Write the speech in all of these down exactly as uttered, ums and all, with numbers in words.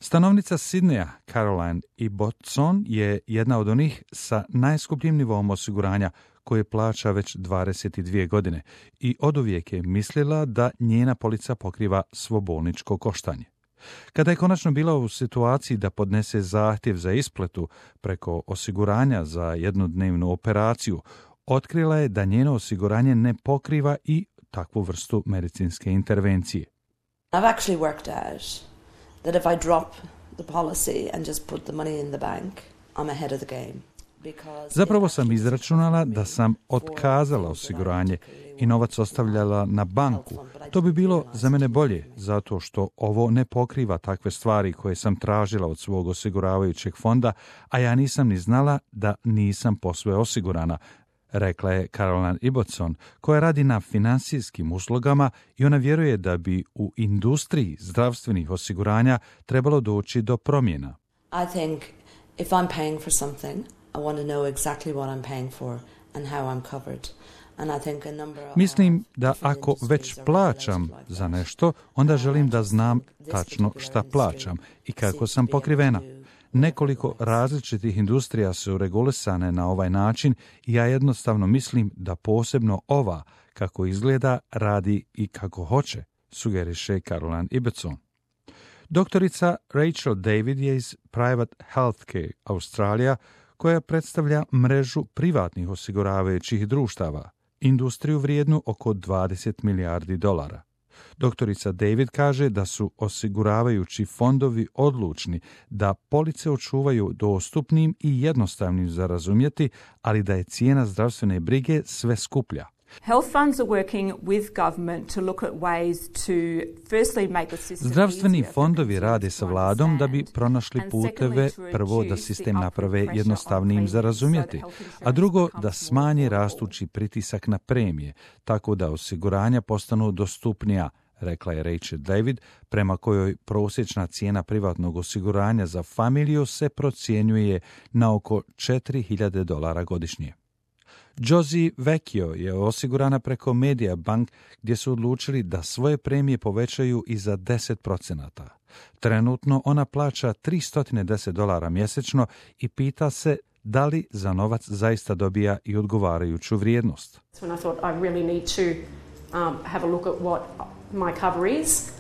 Stanovnica Sidneja, Caroline Ibbotson, je jedna od onih sa najskupljim nivom osiguranja koje plaća već dvadeset dvije godine i oduvijek je mislila da njena polica pokriva svo bolničko koštanje. Kada je konačno bila u situaciji da podnese zahtjev za isplatu preko osiguranja za jednodnevnu operaciju, otkrila je da njeno osiguranje ne pokriva i takvu vrstu medicinske intervencije. I've actually worked out that if I drop the policy and just put the money in the bank, I'm ahead of the game. Zapravo sam izračunala da sam otkazala osiguranje i novac ostavljala na banku. To bi bilo za mene bolje, zato što ovo ne pokriva takve stvari koje sam tražila od svog osiguravajućeg fonda, a ja nisam ni znala da nisam posve osigurana, rekla je Caroline Ibbotson, koja radi na finansijskim uslugama i ona vjeruje da bi u industriji zdravstvenih osiguranja trebalo doći do promjena. I think if I'm paying for something, I want to know exactly what I'm paying for and how I'm covered. And I think a number of Mislim da ako već plaćam za nešto, onda želim da znam tačno šta plaćam i kako sam pokrivena. Nekoliko različitih industrija su regulisane na ovaj način i ja jednostavno mislim da posebno ova, kako izgleda, radi i kako hoće, sugeriše Caroline Ibbotson. Doktorica Rachel David je iz Private Healthcare Australia, koja predstavlja mrežu privatnih osiguravajućih društava, industriju vrijednu oko dvadeset milijardi dolara. Doktorica David kaže da su osiguravajući fondovi odlučni da police očuvaju dostupnim i jednostavnim za razumjeti, ali da je cijena zdravstvene brige sve skuplja. Health funds are working with government to look at ways to firstly make the system Zdravstveni easier for fondovi consumers rade to sa vladom da bi understand, pronašli and puteve, secondly to prvo da reduce sistem the naprave upward jednostavnijim pressure za on premiums razumjeti, so that health a insurance drugo becomes da more smanji affordable. rastući pritisak na premije, tako da osiguranja postanu dostupnija, rekla je Rachel David, prema kojoj prosječna cijena privatnog osiguranja za familiju se procjenjuje na oko četiri hiljade dolara godišnje. Josie Vecchio je osigurana preko Mediabank, gdje su odlučili da svoje premije povećaju i za deset procenata. Trenutno ona plaća tristo deset dolara mjesečno i pita se da li za novac zaista dobija i odgovarajuću vrijednost. When I thought I really need to um, have a look at what my cover is.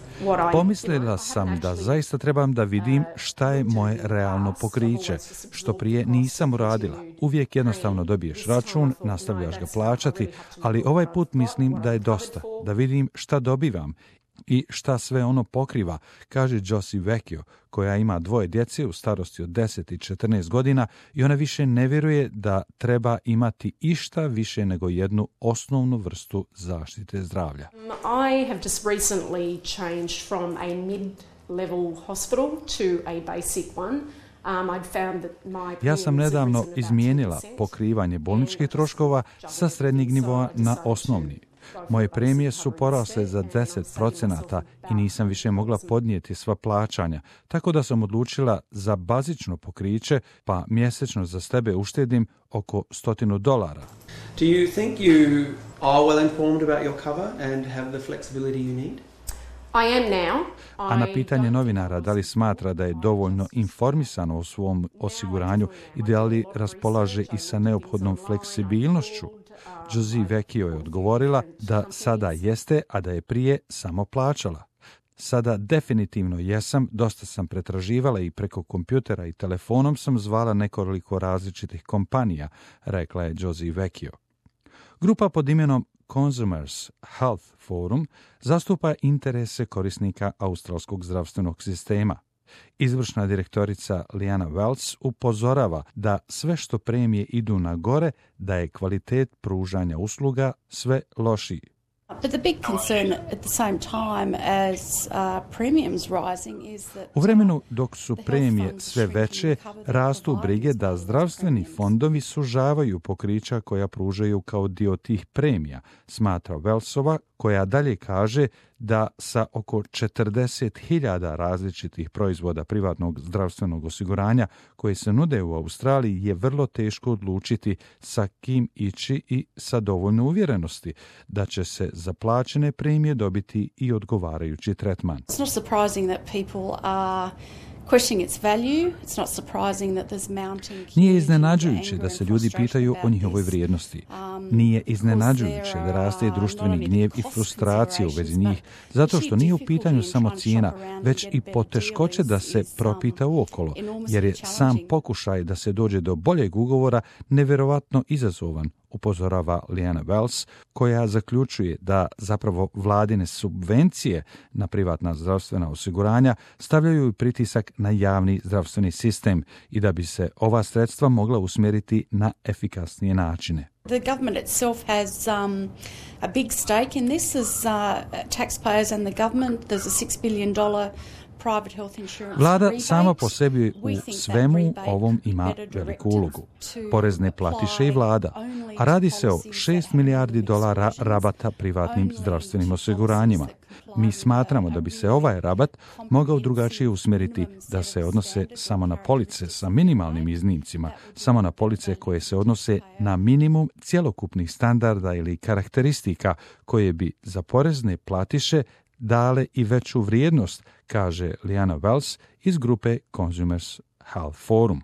Pomislila sam da zaista trebam da vidim šta je moje realno pokriće, što prije nisam uradila. Uvijek jednostavno dobiješ račun, nastavljaš ga plaćati, ali ovaj put mislim da je dosta, da vidim šta dobivam i šta sve ono pokriva, kaže Josie Vecchio, koja ima dvoje djece u starosti od deset i četrnaest godina i ona više ne vjeruje da treba imati išta više nego jednu osnovnu vrstu zaštite zdravlja. I have just recently changed from a mid-level hospital to a basic one. Um, I'd found that my Ja sam nedavno izmijenila pokrivanje bolničkih troškova sa srednjeg nivoa na osnovni. Moje premije su porasle za deset procenata i nisam više mogla podnijeti sva plaćanja, tako da sam odlučila za bazično pokriće, pa mjesečno za sebe uštedim oko stotinu dolara. Do you think you are well informed about your cover and have the flexibility you need? I am now. A na pitanje novinara da li smatra da je dovoljno informisano o svom osiguranju i da li raspolaže i sa neophodnom fleksibilnošću, Josie Vecchio je odgovorila da sada jeste, a da je prije samo plaćala. Sada definitivno jesam, dosta sam pretraživala i preko kompjutera i telefonom sam zvala nekoliko različitih kompanija, rekla je Josie Vecchio. Grupa pod imenom Consumers Health Forum zastupa interese korisnika australskog zdravstvenog sistema. Izvršna direktorica Liana Wells upozorava da sve što premije idu na gore, da je kvalitet pružanja usluga sve lošiji. But the big concern at the same time as uh, premiums rising is that U vremenu dok su premije sve veće, rastu brige da zdravstveni fondovi sužavaju pokrića koja pružaju kao dio tih premija, smatra Wellsova, koja dalje kaže da sa oko četrdeset hiljada različitih proizvoda privatnog zdravstvenog osiguranja koji se nude u Australiji je vrlo teško odlučiti sa kim ići i sa dovoljno uvjerenosti da će se za plaćene premije dobiti i odgovarajući tretman. it's not surprising that people are questioning its value. It's not surprising that there's mounting Nije iznenađujuće da se ljudi pitaju o njihovoj vrijednosti. Nije iznenađujuće da raste društveni gnjev i frustracija u vezi njih, zato što nije u pitanju samo cijena, već i poteškoće da se propita uokolo, jer je sam pokušaj da se dođe do boljeg ugovora nevjerovatno izazovan, upozorava Liana Wells, koja zaključuje da zapravo vladine subvencije na privatna zdravstvena osiguranja stavljaju pritisak na javni zdravstveni sistem i da bi se ova sredstva mogla usmjeriti na efikasnije načine. The government itself has um, a big stake in this as uh, taxpayers and the government. There's a six billion dollars Vlada sama po sebi u svemu ovom ima veliku ulogu. Porezne platiše i vlada, a radi se o šest milijardi dolara rabata privatnim zdravstvenim osiguranjima. Mi smatramo da bi se ovaj rabat mogao drugačije usmjeriti, da se odnose samo na police sa minimalnim iznimcima, samo na police koje se odnose na minimum cjelokupnih standarda ili karakteristika koje bi za porezne platiše dale i veću vrijednost, kaže Liana Wells iz grupe Consumers Health Forum.